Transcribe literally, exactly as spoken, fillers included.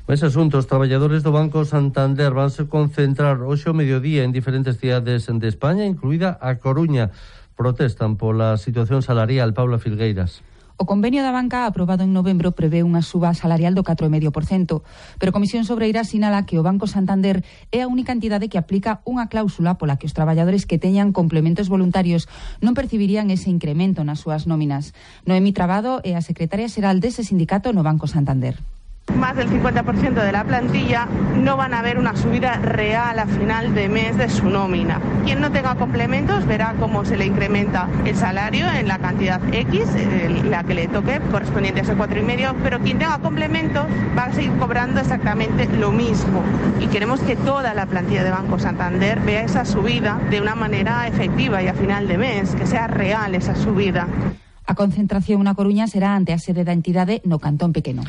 Ese asunto, os traballadores do Banco Santander vanse concentrar hoxe ao mediodía en diferentes cidades de España, incluída a Coruña. Protestan pola situación salarial. Paula Filgueiras. O convenio da banca aprobado en novembro prevé unha suba salarial do catro vírgula cinco por cento, pero Comisión Sobreira sinala que o Banco Santander é a única entidade que aplica unha cláusula pola que os traballadores que teñan complementos voluntarios non percibirían ese incremento nas súas nóminas. Noemí Trabado é a secretaria xeral dese sindicato no Banco Santander. Más del cincuenta por ciento de la plantilla no van a ver una subida real a final de mes de su nómina. Quien no tenga complementos verá cómo se le incrementa el salario en la cantidad X, la que le toque, correspondiente a ese cuatro y medio, pero quien tenga complementos va a seguir cobrando exactamente lo mismo. Y queremos que toda la plantilla de Banco Santander vea esa subida de una manera efectiva y a final de mes, que sea real esa subida. A concentración na Coruña será ante a sede da entidade no Cantón Pequeno.